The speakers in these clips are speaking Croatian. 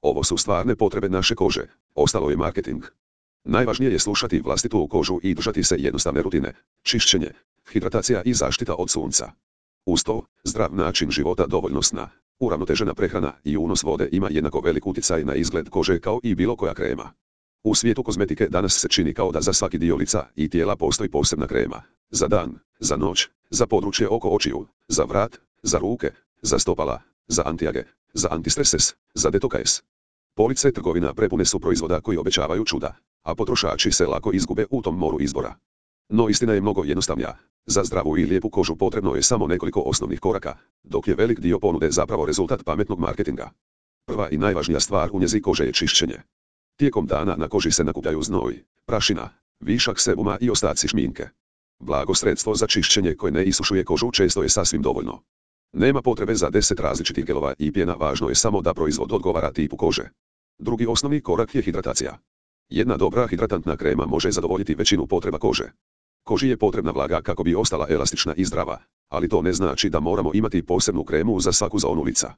Ovo su stvarne potrebe naše kože, ostalo je marketing. Najvažnije je slušati vlastitu kožu i držati se jednostavne rutine, čišćenje, hidratacija i zaštita od sunca. Uz to, zdrav način života, dovoljno sna, uravnotežena prehrana i unos vode ima jednako velik utjecaj na izgled kože kao i bilo koja krema. U svijetu kozmetike danas se čini kao da za svaki dio lica i tijela postoji posebna krema. Za dan, za noć, za područje oko očiju, za vrat, za ruke, za stopala, za antiage, za antistreses, za detoks. Police trgovina prepune su proizvoda koji obećavaju čuda, a potrošači se lako izgube u tom moru izbora. No istina je mnogo jednostavnija. Za zdravu i lijepu kožu potrebno je samo nekoliko osnovnih koraka, dok je velik dio ponude zapravo rezultat pametnog marketinga. Prva i najvažnija stvar u njezi kože je čišćenje. Tijekom dana na koži se nakupljaju znoj, prašina, višak sebuma i ostaci šminke. Blago sredstvo za čišćenje koje ne isušuje kožu često je sasvim dovoljno. Nema potrebe za 10 različitih gelova i pjena, važno je samo da proizvod odgovara tipu kože. Drugi osnovni korak je hidratacija. Jedna dobra hidratantna krema može zadovoljiti većinu potreba kože. Koži je potrebna vlaga kako bi ostala elastična i zdrava, ali to ne znači da moramo imati posebnu kremu za svaku zonu lica.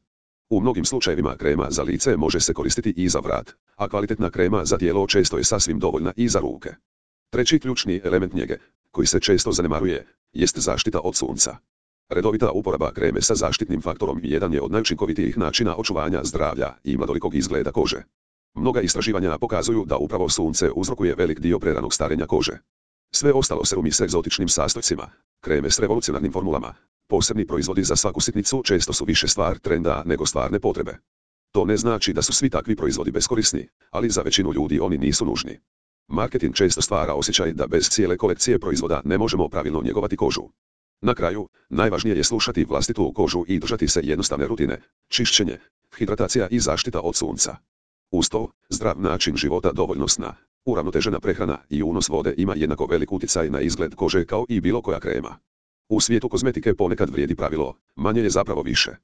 U mnogim slučajevima krema za lice može se koristiti i za vrat, a kvalitetna krema za tijelo često je sasvim dovoljna i za ruke. Treći ključni element njege, koji se često zanemaruje, jest zaštita od sunca. Redovita uporaba kreme sa zaštitnim faktorom jedan je od najučinkovitijih načina očuvanja zdravlja i mladolikog izgleda kože. Mnoga istraživanja pokazuju da upravo sunce uzrokuje velik dio preranog starenja kože. Sve ostalo serumi s egzotičnim sastojcima, kreme s revolucionarnim formulama, posebni proizvodi za svaku sitnicu često su više stvar trenda nego stvarne potrebe. To ne znači da su svi takvi proizvodi beskorisni, ali za većinu ljudi oni nisu nužni. Marketing često stvara osjećaj da bez cijele kolekcije proizvoda ne možemo pravilno njegovati kožu. Na kraju, najvažnije je slušati vlastitu kožu i držati se jednostavne rutine, čišćenje, hidratacija i zaštita od sunca. Uz to, zdrav način života, dovoljno sna, uravnotežena prehrana i unos vode ima jednako velik utjecaj na izgled kože kao i bilo koja krema. U svijetu kozmetike ponekad vrijedi pravilo, manje je zapravo više.